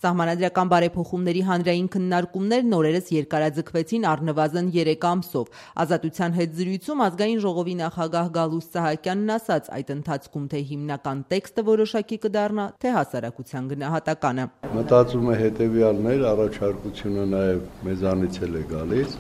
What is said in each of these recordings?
Սահմանադրական բարեփոխումների հանրային քննարկումներն օրերս երկարաձգվեցին առնվազն 3 ամսով։ Ազատության հետ զրույցում ազգային ժողովի նախագահ Գալուստ Սահակյանն ասաց, այդ ընթացքում թե հիմնական տեքստը որոշակի կդառնա, թե հասարակության գնահատականը։ Մտածում է հետևյալն էր, առաջարկությունը նաև մեզանից էլ է գալիս,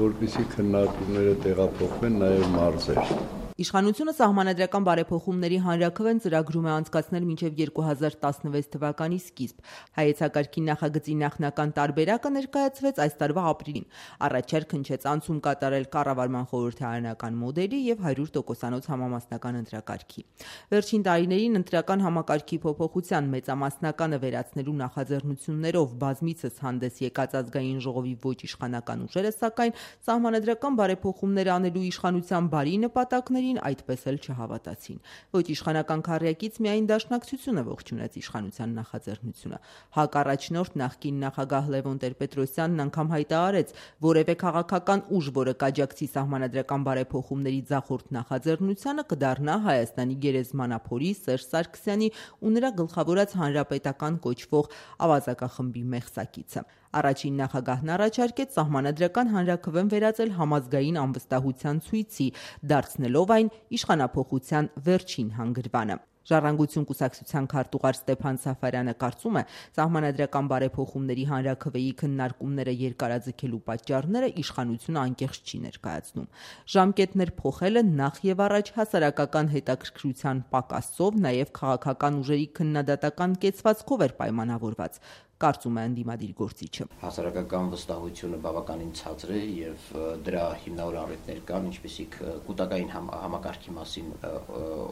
որպեսզի քննարկումները տեղափոխվեն նաև մարզեր։ Իշխանությունը սահմանադրական բարեփոխումների հանրաքվեն ծրագրում է անցկացնել մինչև 2016 թվականի սկիզբ։ Հայեցակարգի նախագծի նախնական տարբերակը ներկայացվեց այս տարվա ապրիլին։ Առաջարկ հնչեց անցում կատարել կառավարման խորհրդարանական մոդելի եւ 100%-անոց համամասնական ընտրակարգի։ Վերջին տարիներին ընտրական համակարգի փոփոխության մեծամասնականը վերացնելու նախաձեռնություններով բազմիցս հանդես եկած ազգային ժողովի ոչ իշխանական ուժերը, սակայն սահմանադրական բարեփոխումներ անելու իշխանության բարի նպատակներ այդպես էլ չհավատացին։ Ոչ իշխանական քառյակից միայն Դաշնակցությունը ողջունեց իշխանության նախաձեռնությունը։ ՀԱԿ առաջնորդ նախկին նախագահ Լևոն Տեր-Պետրոսյանն անգամ հայտարարեց, որևէ քաղաքական ուժ, որը կաջակցի սահմանադրական բարեփոխումների ձախորդ նախաձեռնությանը, կդառնա Հայաստանի գերեզմանափորի Սերժ Սարգսյանի ու նրա գլխավորած հանրապետական կոչվող ավազակախմբի մեղսակիցը։ Առաջին նախագահն առաջարկեց սահմանադրական հանրաքվեն վերածել համազգային անվստահության ցույցի, դարձնելով այն իշխանափոխության վերջին հանգրվանը։ Ժառանգություն կուսակցության քարտուղար Ստեփան Սաֆարյանը կարծում է, սահմանադրական բարեփոխումների հանրաքվեի քննարկումները երկարաձգելու պատճառները իշխանությունը անկեղծ չի ներկայացնում։ Ժամկետներ փոխելը նախ եւ առաջ հասարակական հետաքրքրության պակասով, նաեւ քաղաքական ուժերի քննադատական կեցվածքով էր պայմանավորված, կարծում է ընդդիմադիր գործիչը։ Հասարակական վստահությունը բավականին ցածր է եւ դրա հիմնավոր առիթներ կան, ինչպիսիք կൂട്ടակային համակարգի մասին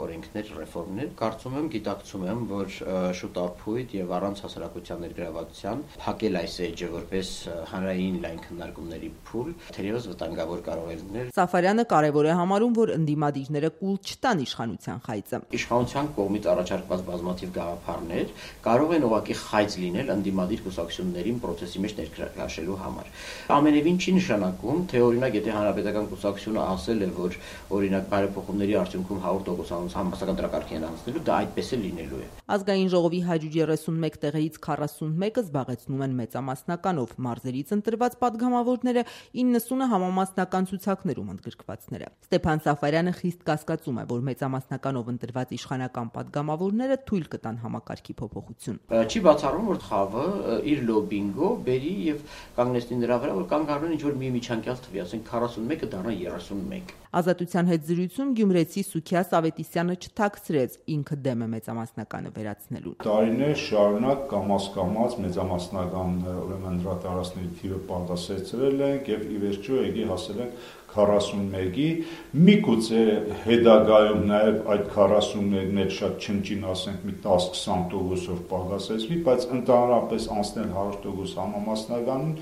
օրենքներ, ռեֆորմներ։ Կարծում եմ, գիտակցում եմ, որ շուտապույտ եւ առանց հասարակության ներգրավվածության փակել այս էջը որպես հանրային լայն քննարկումների փուլ, թերևս վտանգավոր կարող է լինել։ Սաֆարյանը կարևոր է համարում, որ ընդդիմադիրները կուլ չտան իշխանության խայծը։ Իշխանության կողմից առաջարկված բազմաթիվ գաղափարներ կարող են ուղղակի խայծ լինել ընդդիմադիր կուսակցություններին process-ի մեջ ներկայացնելու համար։ Ամենևին չի նշանակում, թե օրինակ եթե հանրապետական կուսակցությունը ասել է, որ օրինակ բարեփոխումների արդյունքում 100%-անոց համապատասխան դրակարգ են անցնելու, դա այդպես է լինելու է։ Ազգային ժողովի 131 տեղերից 41-ը զբաղեցնում են մեծամասնականով, մարզերից ընտրված падգամավորները 90-ը համամասնական ցուցակներում ընդգրկվածները։ Ստեփան Սաֆարյանը խիստ կասկածում է, որ մեծամասնականով ընտրված իշխանական падգամավորները թույլ կտան համակարգի փոփոխություն։ Չի բացառում, որ խավը իր լոբինգով բերի եւ կանգնեցնի նրա վրա, որ կանգ առնեն ինչ-որ մի միջանկյալ թվի, ասենք 41-ը դառնա 31։ Ազատության հետ զրույցում գյումրեցի Սուքիաս Ավետիսյանը չթաքցրեց, ինքը դեմ է մեծամասնականը վերացնելու։ Տարիներ շարունակ կամաց-կամաց մեծամասնական ուրեմն դրատարածների թիվը պատասեցրել ենք եւ ի վերջո եկի հասել ենք 41-ի, միգուցե հետագայում նաև այդ 41-ն էլ շատ չնչին, ասենք մի 10-20%-ով պակասեցվի, բայց ընդհանրապես անցնել 100% համամասնականին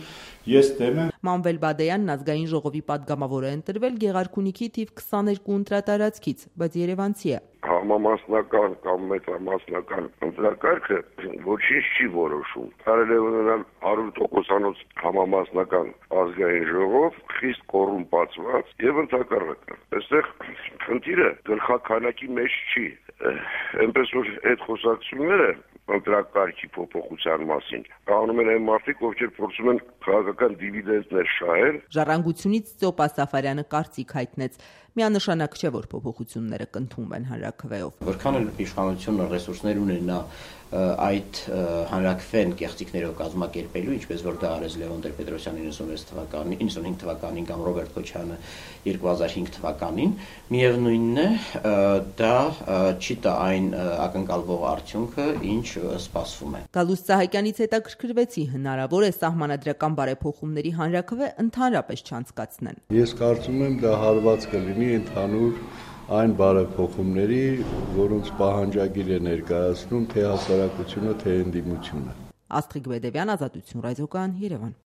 ես դեմ եմ։ Մանվել Բադեյանն ազգային ժողովի падգամավոր է ընտրվել Գեղարքունիքի թիվ 22 ընտրատարածքից, բայց երևանցի է։ Համամասնական կամ մեծամասնական ընտրակարգը ոչինչ չի որոշում։ Կարելի է ունենալ 100%-անոց համամասնական ազգային ժողով, խիստ կոռումպացված եւ ընդհակառակը։ Այստեղ խնդիրը գլխաքանակի մեջ չի։ Այնպես որ այդ խոսակցությունները ընտրակարգի փոփոխության մասին անում են այն մարդիկ, ովքեր փորձում են քաղաքական դիվիդենտներ շահել։ Ժառանգությունից Ծոպա Սաֆարյանը կարծիք հայտնեց, միանշանակ չէ, որ փոփոխությունները կընդունվեն հանրաքվեով։ Որքան էլ իշխանությունը ռեսուրսներ ունենա այդ հանրաքվեն կեղծիքներով կազմակերպելու, ինչպես որ դա արեց Լևոն Տեր-Պետրոսյանը 95 թվականին կամ Ռոբերտ Քոչյանը 2005 թվականին, միևնույնն է, դա չի տա այն ակնկալվող արդյունքը, ինչ սպասվում է։ Գալուստ Սահակյանից հետաքրքրվեցի, հնարավոր է սահմանադրական բարեփոխումների հանրաքվե ընդհանրապես չանցկացնեն։ Ես կարծում եմ դա հարված կլինի ընդհանուր այն բարեփոխումների, որոնց պահանջագիր է ներկայացնում թե հասարակությունը, թե ընդդիմությունը։ Աստղիկ Բեդևյան, Ազատություն ռադիոկայան, Երևան։